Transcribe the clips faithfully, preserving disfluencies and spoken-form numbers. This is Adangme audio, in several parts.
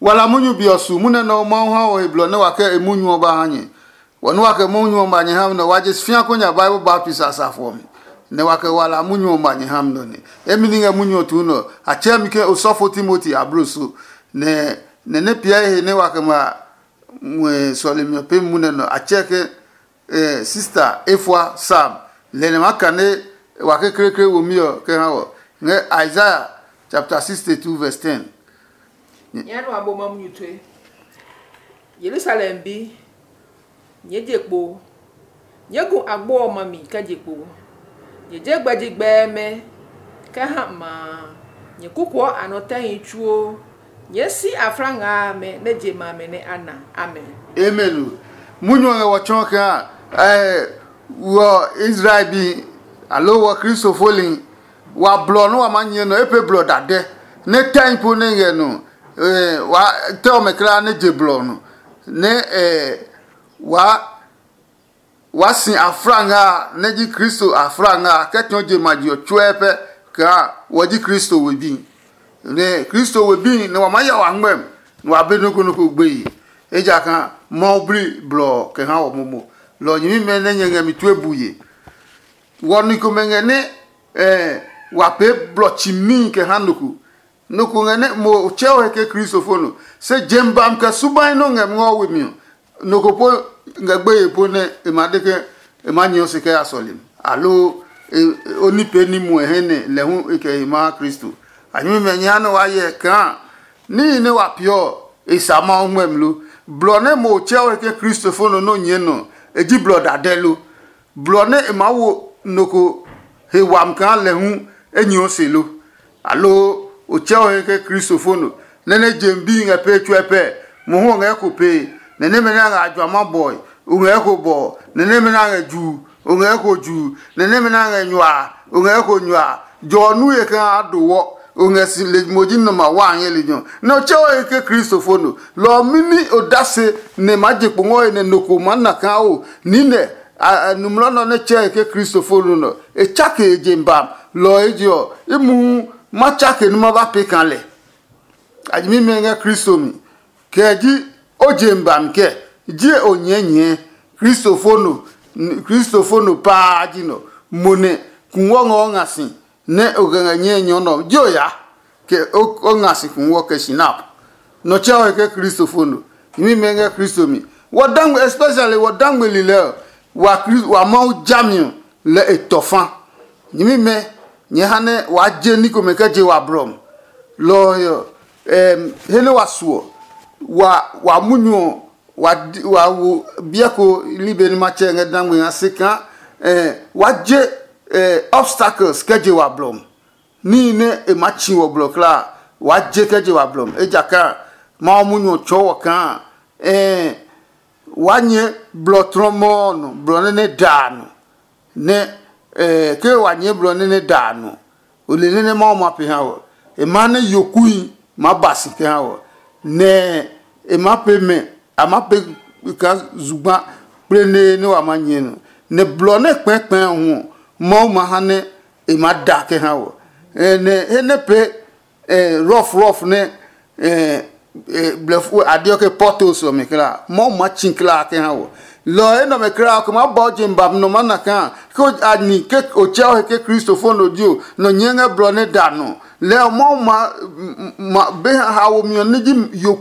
Wala munyu be ɔ su munyu nɛ Mawu ha wɔ he blɔ nɛ wa kɛ e munyu ɔ ba ha nyɛ. Wɔ nɛ wa kɛ munyu ɔ ba nyɛ ha mi nɛ wa je fia ko nya Bible baptist a safo ɔ mi, nɛ wa kɛ wala munyu ɔ ba nyɛ ha mi nɔ nɛ. Emi ni ngɛ munyu ɔ tuu nɔ, a tsɛɛ mi ke osɔfo Timoti ablo so, nɛ nɛ nɛ piɛ he nɛ wa kɛ ma ngmɛ sɔlemi ɔ pemi munɛ nɔ, a tsɛɛ ke eh, sista efua Sam, lɛ nɛ ma kane wa kekleekle womi ɔ kɛ ha wɔ ngɛ Isaiah chapter sixty-two verse ten. Nyɛ nɔ abo ma munyu tue. Yerusalem bi, nyɛɛ je kpo. Nyɛɛ gu agbo ɔ ma mi kɛ je kpo. Nyɛ je gbɛji gbɛɛmɛ kɛ ha ma a. Nyɛ kukuɔ a nɔ tɛhi tsuo. Nyɛɛ si afla nga amɛ nɛ je ma amɛ nɛ a na. Amen. Amen o. Munyu ɔ ngɛ wɔ tsɔɔ kaa, eh, wɔ Israel bi, aloo wɔ Kristo foli, wa blɔ nɛ wa maa nyɛ nɔ, e pe blɔ dadɛ, nɛ tɛhi po nɛ ngɛ nɔ, eh, wa tɛ ɔmɛ kulaa nɛ je blɔ nɔ, nɛ eh, wa wa si afla nga a nɛ ji Kristo afla nga a kɛ tsɔɔ je ma je ɔ tsuɛ pɛ kaa wɔ ji Kristo we bi. Nɛ Kristo we bi nɛ wa maa ya wa ngmɛm nɛ wa be nɔ́ ko nɔ́ ko gbeye, ejakaa Mawu bli blɔ ɔ kɛ ha wɔ momo. Lɔ ɔ nyɛmimɛ nɛ nyɛ ngɛ mi tue bu ye. Wɔ ni komɛ ngɛ nɛ eh, wa pee blɔ tsimii kɛ ha nɔ ko. Nɔ ko ngɛ nɛ mo tsɛ o he ke Kristofo no, se jem bam kɛ subai nɔ ngɛ ngɔ we mi ɔ, nɔ ko po ngɛ gbeye po nɛ e ma de ke e ma nyɛ se kɛ ya sɔlim, aloo o ni pee ní muɔ he nɛ lɛ hu e kɛ he ma ha Kristo. A nyɛmimɛ nyɛ ha nɛ wa hyɛ kaa níhi nɛ wa peeɔ ɔ, e sa Mawu ngmɛmi lo? Blɔ nɛ mo tsɛ o he ke Kristofo no nɔ nyɛɛ nɔ, e ji blɔ dadɛ lo? Blɔ nɛ e maa wo nɔ ko he wami kaa lɛ hu enyɔ se lo? Aloo o tsɛ o he ke Kristofo no, nɛ nɛ jem bi ngɛ pee tsuɛ pɛ? Mohu o ngɛ ko pee, nɛ nɛmɛ nɛ a ngɛ a juama bɔe, o ngɛ ko bɔ, nɛ nɛmɛ nɛ a ngɛ juu, o ngɛ ko juu, nɛ nɛmɛ nɛ a ngɛ nyua, o ngɛ ko nyua. Jɔ ɔ nu ye kaa a do wɔ, o ngɛ si lejimoji nɔ ma wa a nyɛ lejɛ ɔ, nɛ o tsɛ o he ke Kristofo no. Lɔ ɔ mɛni odase nɛ maa je kpo ngɔ he nɛ nɔ ko maa na kaa o niinɛ? Numlɔ nɔ nɛ tsɛɛ ke Kristofo no nɔ, e tsake e je bam. Lɔ ɔ eje ɔ, i muhu ma tsake nɛ ma ba pee kaa lɛ. A nyɛmimɛ ngɛ Kristo mi, kɛ ji o je bami kɛ? Jie o nyɛɛ nyɛɛ. Kristofo no, Kristofo no paa ji nɔ. Mo nɛ kungwɔ ngɔ o nga si nɛ o kɛ ngɛ nyɛɛ nyɔ nɔ ji o ya, kɛ o nga si kungwɔ kɛ sinap. Nɔ tsɛ o he ke Kristofo no. Nyɛmimɛ ngɛ Kristo mi. Wɔ dangme, especially wɔ dangme lilɛ ɔ, wa Kristo wa Mawu jami ɔ lɛ e tɔ fa. Nyɛmimɛ, nyɛ ha nɛ waa je ní komɛ kɛ je wa blɔ mi. Lɔ ɔ he ɔ, he nɛ wa suɔ, wa wa munyu ɔ, wa wo biɛ ko libe nɛ ma tsɛ ngɛ dangme ha se kaa wa je obstacles kɛ je wa blɔ mi. Níhi nɛ e maa tsi wɔ blɔ kulaa, waa je kɛ je wa blɔ mi, ejakaa Mawu munyu ɔ tsɔɔ wɔ kaa waa nyɛ blɔ tlɔmɔ ɔ nɔ, blɔ nɛ nɛ da a nɔ. Nɛ ke wa nyɛɛ blɔ nɛ nɛ da a nɔ, o le nɛ nɛ Mawu ma pe ha wɔ. E maa nɛ yokui maa ba si kɛ ha wɔ, nɛ e maa pe mɛ, a maa pe kaa zugba kplenee nɛ wa ma nyɛ nɔ. Nɛ blɔ nɛ kpɛɛkpɛɛ ɔ hu ɔ, Mawu ma ha nɛ e maa da kɛ ha wɔ. Nɛ he nɛ pee rɔf rɔf nɛ blɛfu a deɔ ke pɔtos ɔ mi kla, Mawu ma tsi kla kɛ ha wɔ. Lɔ ɔ enɛ ɔmɛ kla ɔ ke ma ba o je ba nɔ ma na kaa ke a ni ke o tsɛ o he ke Kristofo no dio nɔ nyɛɛ ngɛ blɔ nɛ da nɔ. Lɛ ɔ Mawu ma ma be ha womi ɔ nɛ ji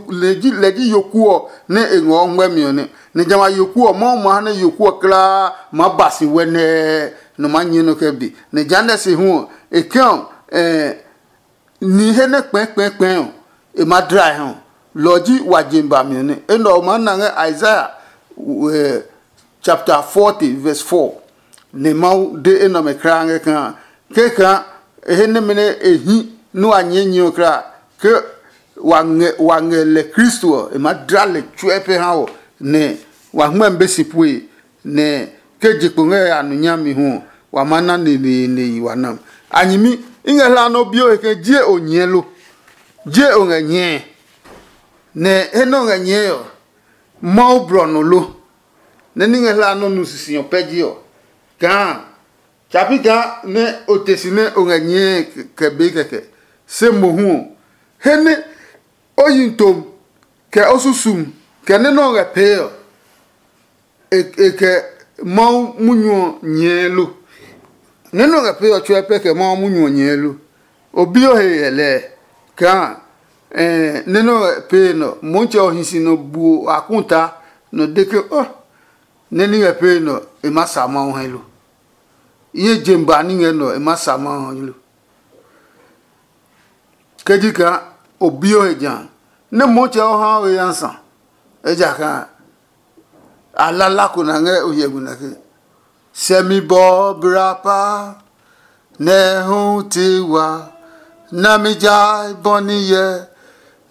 lɛ ji lɛ ji yoku ɔ nɛ e ngɔ ngmɛmi ɔ nɛ. Nɛ jamɛ a yoku ɔ Mawu ma ha nɛ yoku ɔ kla ma ba si wɛ nɛɛ nɔ ma nyɛ nɔ kɛ be. Nɛ jehanɛ se hu ɔ e kɛ ɔ ni he nɛ kpɛɛkpɛɛkpɛɛ ɔ e ma dlae ha ɔ, lɔ ɔ ji wa je bami ɔ nɛ. Enɛ ɔ ma na ngɛ Isaiah chapter forty verse four. Nɛ Mawu de enɛ ɔmɛ kulaa ngɛ kaa ke kaa he nɛmɛ nɛ e hi nɛ wa nyɛɛ nyɛ ɔ kulaa ke wa ngɛ wa ngɛ lɛ Kristo ɔ, e ma dla lɛ tsuɛ pɛ ha wɔ, nɛ wa hmɛmi be si pue. Nɛ ke je kpo ngɛ ya nu nyami hu ɔ, wa ma na neneene yi wa nam. A nyɛmi, i ngɛ hla nɔ bi o he ke jie o nyɛɛ lo? Jie o ngɛ nyɛɛ? Nɛ he nɛ o ngɛ nyɛɛ ɔ, Mawu blɔ nɔ lo? Nɛ ní ngɛ hla nɔ nu sisi ɔ pɛ ji ɔ, kaa tsapi kaa nɛ o te si nɛ o ngɛ nyɛɛ kɛ be kɛkɛ. Se mohu ɔ, he nɛ o yi tom kɛ o susum, kɛ nɛ nɛ o ngɛ pee ɔ, e e kɛ Mawu munyu ɔ nyɛɛ lo? Nɛ nɛ o ngɛ pee ɔ tsuɛ pɛ kɛ Mawu munyu ɔ nyɛɛ lo? O bi o he hyɛ lɛɛ kaa nɛ nɛ o ngɛ pee nɛ ɔ, Motsɛ ɔ hi si nɔ buo akuta nɔ de ke, ɔ nɛ ní ngɛ pee nɛ ɔ, e maa sa Mawu hɛ lo? I ye je ba ní ngɛ nɛ ɔ, e maa sa Mawu hɛ lo? Ke ji kaa o bi o he ja nɛ Motsɛ ɔ ha o he ya sa, ejakaa a lala ko na ngɛ o hyɛ gu nɛ ke, sɛmi bɔ bra pa nɛ hu ti wa, nami ja bɔ ni yɛ,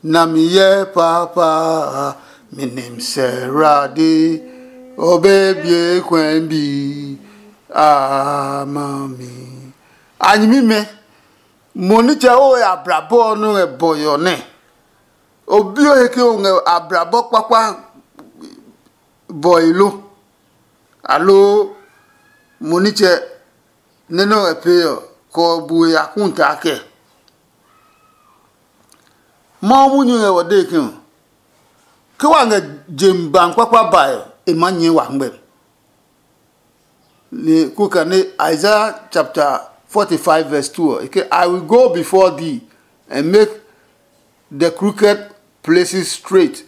nami yɛ papa, mi nim sɛ rade, o be bie kwɛn bi a ma mi. A nyimi mɛ, mo nitsɛ o ya brabɔ ɔ nɔ ngɛ bɔyɔ nɛ. O bi o he ke o ngɛ ablabɔ kpakpa bɔe lo? Aloo mo nitsɛ nɛ nɛ o ngɛ pee ɔ, kɛ ɔ bu we yakuntaa kɛ? Mawu munyu ngɛ wɔ dee ke ɔ, ke wa ngɛ jem ba kpakpa bae ɔ, e maa nyɛɛ wa ngmɛmi. Ni kuka ni Isaiah chapter forty-five verse two ɔ, e ke, I will go before thee and make the crooked places straight,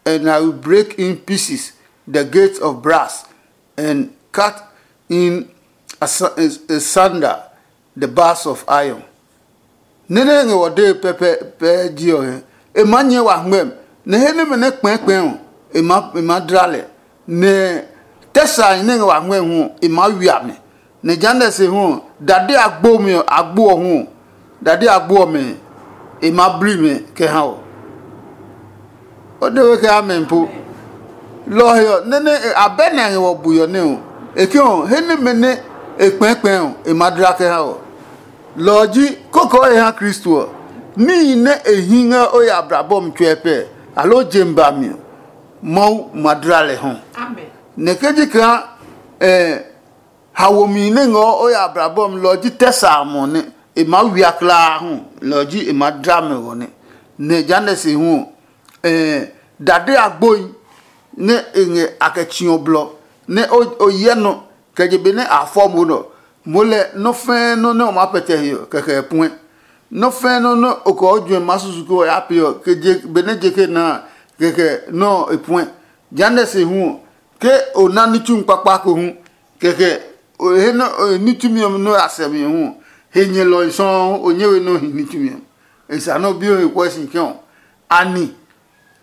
and I will break in pieces the gates of brass, and cut in asunder the bars of iron. Nɛ nɛ ngɛ wɔ dee pɛpɛɛpɛ ji ɔ hɛ. E maa nyɛɛ wa hngmɛmi, nɛ he nɛmɛ nɛ kpɛɛkpɛɛ ɔ, e maa e maa dla lɛ. Nɛ tɛsae nɛ ngɛ wa hngmɛmi hu ɔ, e maa wia mɛ. Nɛ jehanɛ se hu ɔ, dade agbo mi ɔ agbo ɔ hu ɔ, dade agbo ɔmɛ e maa bli mɛ kɛ ha ɔ. O de we kɛ amɛ po. Lɔ ɔ he ɔ, nɛ nɛ abɛ nɛ a ngɛ wɔ bui ɔ nɛ ɔ, e ke ɔ, he nɛmɛ nɛ e kpɛɛkpɛɛ ɔ, e maa dla kɛ ha ɔ. Lɔ ɔ ji koko he ha Kristo ɔ, níhi nɛ e hi ngɛ o ya abrabɔ mi tsuɛ pɛ, aloo je mi ba mi ɔ, Mawu ma dla lɛ hɔ. Nɛ ke ji kaa haomi nɛ ngɔɔ o ya abrabɔ mi lɔ ɔ ji tɛ sa amɔ nɛ e maa wia kulaa hu, lɔ ɔ ji e maa dla mɛ ɔ nɛ. Nɛ jehanɛ se hu ɔ, dade agboi nɛ e ngɛ a kɛ tsi ɔ blɔ nɛ o hyɛ nɔ kɛ je be nɛ a fɔ mo nɔ, moo lɛ nɔ́ fɛ́ɛ́ nɔ́ nɛ o maa pɛtɛ he ɔ, kɛkɛ e puɛ. Nɔ́ fɛ́ɛ́ nɔ́ nɛ o kɛ o juɛ maa susu ke o ya pee ɔ, kɛ je benɛ je ke na a, kɛkɛ nɔ́ ɔ e puɛ. Jehanɛ se hu ɔ, ke o na ní tsumi kpakpa ko hu, kɛkɛ o he nɔ́ ní tsumi ɔmɛ nɔ́ ya sɛ mi ɔ hu ɔ, he nyɛlɔi sɔuu o nyɛ we nɔ́ hi ní tsumi ɔ. E sa nɛ o bi o he kuɛ si ke ɔ, ani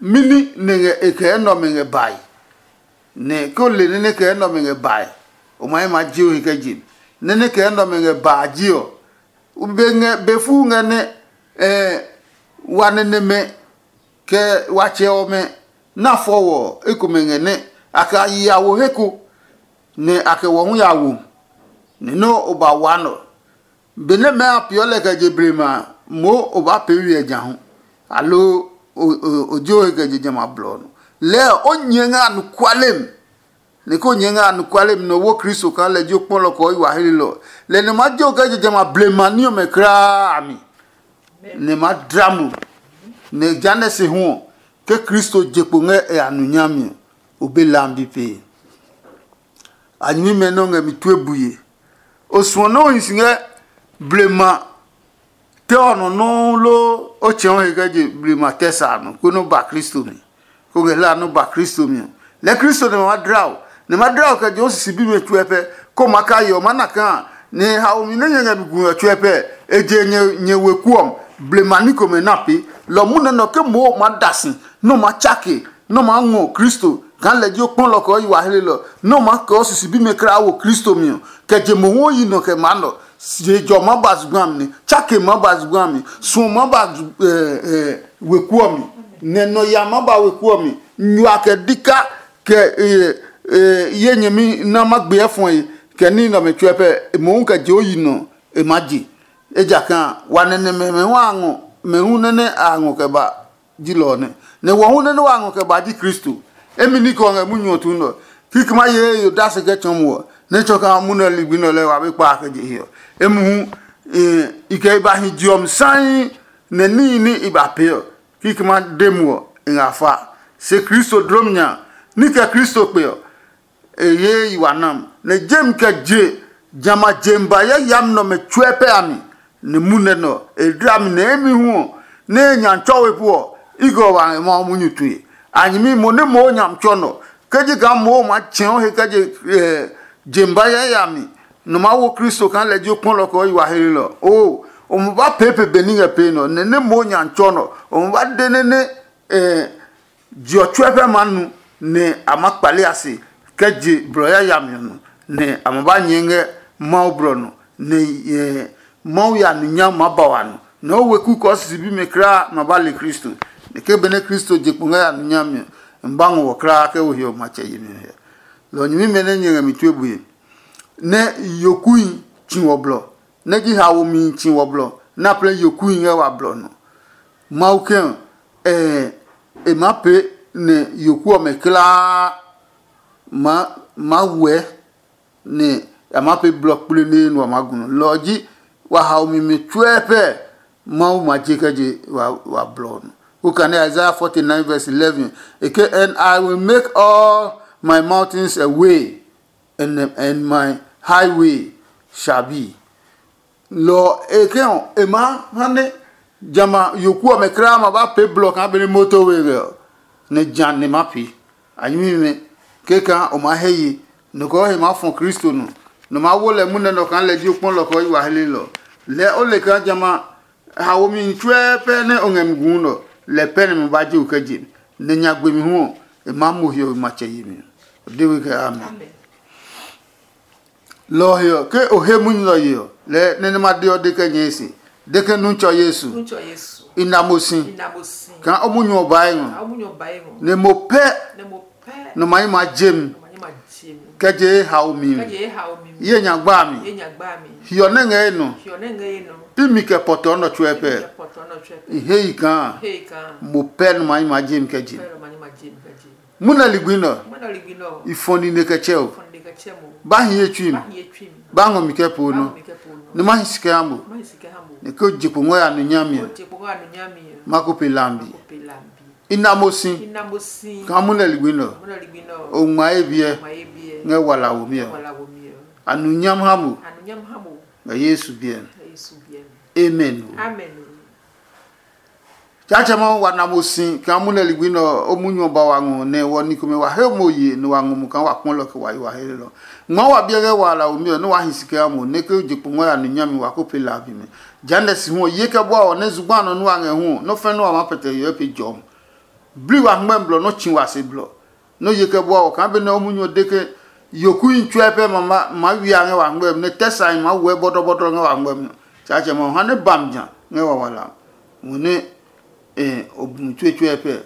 mini nɛ ngɛ e kɛ enɛ ɔmɛ ngɛ bae? Nɛ ke o le nɛ nɛ kɛ enɛ ɔmɛ ngɛ bae, o ma he maa je o he kɛ je mi. Nɛ nɛ kɛ enɛ ɔmɛ ngɛ baa ji ɔ, be ngɛ be fuu ngɛ nɛ wa nɛnɛmɛ kɛ watsɛ ɔmɛ na fɔ wɔ ekomɛ ngɛ nɛ a kɛ a yi ya wo he ko, nɛ a kɛ wɔ hu ya wo, nɛ nɔ́ o ba waa nɔ. Benɛ mɛɛ a peeɔ lɛ kɛ je blema a, moo o baa pee we ɔ ja hu, aloo o je o he kɛ je jamɛ a blɔ ɔ nɔ. Lɛɛ o nyɛɛ ngɛ anɔkuale mi, nɛ ko nyɛɛ ngɛ anɔkuale mi nɛ o wo Kristo kaa lɛ ji o kpɔlɔ kɛ o yi wa helelɔ ɔ, lɛ nɛ ma je o kɛ je jamɛ a blema ní ɔmɛ kulaa a mi, nɛ ma dla mo. Nɛ jehanɛ se hu ɔ, ke Kristo je kpo ngɛ e a nu nyami ɔ, o be lambi pee. A nyɛmimɛ nɛ o ngɛ mi tue buye. O suɔ nɛ o hi si ngɛ blema tɛ ɔ nɔ nɔuu loo o tsɛ̃ɔ he kɛ je blema tɛ sa a nɔ konɛ o ba Kristo mi, kó ngɛ hlaa nɛ o ba Kristo mi ɔ, lɛɛ Kristo nɛ ma dla o, nɛ ma dla o kɛ je o sisi bimɛ tsuɛ pɛ, kó ma ka yeɔ ma na kaa nɛ haomi nɛ nyɛ ngɛ mi gu ɔ tsuɛ pɛ, e je nyɛ weku ɔ blema ní komɛ na pee. Lɔ munɛ nɔ ke moo ma da si nɛ o ma tsake nɛ o maa ngɔ Kristo kaa lɛ ji o kpɔlɔ kɛ o yi wa helelɔ, nɛ o maa kɛ o sisi bimɛ kulaa wo Kristo mi ɔ, kɛ je mohu o yi nɔ kɛ maa nɔ. Je jɔ maa ba zugba mi, tsake maa ba zugba mi, suɔ maa ba weku ɔ mi, nɛ nɔ ya maa ba weku ɔ mi, nyua kɛ dika kɛ ye nyɛmi na ma gbe ɛfɔe kɛ ní nɛ ɔmɛ tsuɛ pɛ, mohu kɛ je o yi nɔ e maa je. Ejakaa wa nɛnɛ mɛmɛ hu a ngɔ, mɛ hu nɛ nɛ a ngɔ kɛ ba ji lɔ ɔ nɛ. Nɛ wɔ hu nɛ nɛ wa ngɔ kɛ ba ji Kristo. Emi ní kɛ ɔ ngɛ munyu ɔ tuu nɛ ɔ. Kikɛ ma ye ye yo dase kɛ tsɔɔ mo ɔ, nɛ tsɔ kaa munɛ ligbi nɛ ɔ lɛɛ wa be kpa kɛ je he ɔ. Emi hu i kɛ i ba hi je ɔ mi saii, nɛ níhi ní i ba pee ɔ, kikɛ ma de mo ɔ, i ngɛ a fa. se Kristo dlom nya, ní kɛ Kristo kpe ɔ, e ye yi wa nam, nɛ jem kɛ je jamɛ a jem ba yayami nɛ ɔmɛ tsuɛ pɛ a mi, nɛ munɛ nɛ ɔ, e dla mi nɛ imi hu ɔ, nɛ e nya tsɔwe pu ɔ, i kɛ wa ngɛ Mawu munyu tue. A nyɛmi mo nɛ moo nyami tsɔ nɔ, ke ji kaa moo ma tsɛ̃ɔ he kɛ je jem ba yayami, nɔ maa wo Kristo kaa lɛ ji o kpɔlɔ kɛ o yi wa hlelɔ. Oo, o ma ba pee pe be ní ngɛ pee nɔ, nɛ nɛ moo nyami tsɔ nɔ, o ma ba de nɛ nɛ je ɔ tsuɛ pɛ maa nu, nɛ a maa kpale a se kɛ je blɔ yayami ɔ nɔ, nɛ a ma ba nyɛɛ ngɛ Mawu blɔ nɔ, nɛ Mawu ya nu nyami maa ba wa nɔ, nɛ o weku kɛ o sisi bimɛ kulaa ma ba le Kristo. Nɛ ke benɛ Kristo je kpo ngɛ ya nu nyami ɔ, n ba ngɔ wɔ kulaa ke o he ɔ matsɛ yemi ɔ he. Lɔ nyɛmimɛ nɛ nyɛ ngɛ mi tue bue, nɛ yokui tsi wɔ blɔ, nɛ ji haomi tsi wɔ blɔ, nɛ a plɛ yokui ngɛ wa blɔ nɔ. Mawu kɛ ɔ, e maa pee nɛ yoku ɔmɛ kulaa maa wɛ, nɛ a maa pee blɔ kpleneee nɛ wa maa gu nɔ. Lɔ ɔ ji wa haomi mi tsuɛ pɛ Mawu ma je kɛ je wa blɔ ɔ nɔ. Okane Isaiah forty nine verse eleven, e ke, "And I will make all my mountains a way, and, and my highway shall be." Lɔ ɔ, e ke ɔ, e maa ha nɛ jamɛ a yoku ɔmɛ kulaa ma ba pee blɔ kaa benɛ moto we ngɛ ɔ, nɛ ja nɛ ma pee. A nyɛmimɛ, kɛkaa o maa hɛ ye, nɔ kɛ o he maa fɔ Kristo nɔ, nɔ maa wo lɛ munɛ nɔ kaa lɛ ji o kpɔlɔ kɛ o yi wa hlelɔ. Lɛɛ o le kaa jamɛ a haomi tsuɛ pɛ nɛ o ngɛ mi guu nɔ, lɛ pɛ nɛ ma ba je o kɛ je mi, nɛ nyagbe mi hu ɔ, e maa mo hiɔwe matsɛ yemi. O de we kɛ amen. Lɔ ɔ he ɔ, ke o he munyu ɔ ye ɔ, lɛɛ nɛ nɛ ma de ɔ de kɛ nyɛɛ se, de ke nu tsɔ Yesu, i na mo si kaa o munyu ɔ bae ngɔ, nɛ mo pɛ nɔ ma yi ma je mi kɛ je ye haomi mi. Ye nya gba mi, hiɔ nɛ ngɛ ye nɔ, imi kɛ pɔtɔ nɔ tsuɛ pɛ. I he yi kaa mo pɛ nɔ ma yi ma je mi kɛ je mi. Munɛ ligbi nɛ ɔ, i fɔ nine kɛ tsɛ o. Ba hi ye tsui mi, ba ngɔ mi kɛ po nɔ, nɛ ma hi si kɛ ha mo, nɛ ke o je kpo ngɔ ya nu nyami ɔ, ma ko pe lambi. I na mo si kaa munɛ ligbi nɛ ɔ, o ngma ye biɛ ngɛ wala womi ɔ. A nu nyam ha mo ngɛ Yesu biɛ mi. Amen. Tsaatsɛ Mawu wa na mo si kaa munɛ ligbi nɛ ɔ, o munyu ɔ ba wa ngɔ nɛ wɔ ni komɛ wa he mo ye nɛ wa ngɔ mo kaa wa kpɔ lɛ kɛ wa yi wa he lɔ. Ngma wa biɛ ngɛ wa la omi ɔ nɛ wa hi si kɛ ha mo nɛ ke je kpo ngɔ ya nu nyami wa ko pe la a bi mɛ. Jehanɛ si hu ɔ, ye kɛ bua ɔ nɛ zugba nɔ nua ngɛ hu ɔ, nɔ́ fɛ́ nɛ wa maa pɛtɛ hiɔwe pe jɔmi. Bli wa hngmɛ blɔ nɔ́ tsi wa se blɔ. Nɔ́ ye kɛ bua ɔ kaa benɛ o munyu ɔ de ke yokuhi tsuɛ pɛ ma ma maa wia ngɛ wa hngmɛ mi nɛ tɛ sahi maa wɛ bɔdɔbɔdɔ ngɛ wa hngmɛ mi. Tsaatsɛ Mawu ha nɛ ba mi ja ngɛ wa wala mo nɛ o bu mi tsuetsuɛ pɛ.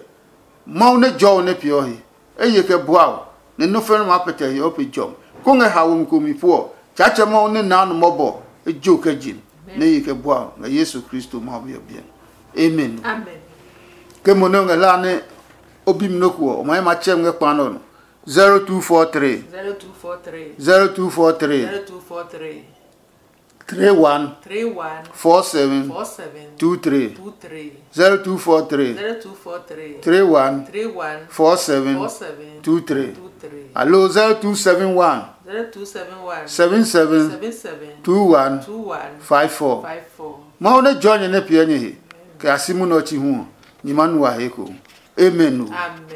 Mawu nɛ jɔɔ nɛ peeɔ he, eye kɛ bua o, nɛ nɔ́ fɛnɛ maa pɛtɛ he o pe jɔmi, kó ngɛ haomi ko mi puɔ. Tsaatsɛ Mawu nɛ naa nɔ mɔbɔ ejo kɛ je mi, nɛ ye kɛ bua o ngɛ Yesu Kristo Mawu bi ɔ biɛ mi. Amen. Ke mo nɛ o ngɛ hlaa nɛ o bi mi nɔ́ ko ɔ, o ma he ma tsɛ mi ngɛ kpa nɛ ɔ nɔ. zero two four three, zero two four three, zero two four three, zero two four three, three one, three one, four seven, four seven, two three, two three, zero two four three, zero two four three, three one, three one, four seven, four seven, two three, two three. Alo zero two seven one, zero two seven one, seven seven, seven seven, two one, two one, five four, five four. Mawu nɛ jɔ nyɛ nɛ piɛ nyɛ he kɛ a si munɛ ɔ chi hu ɔ, nyɛ ma nu wa he ko. Amen o. Amen.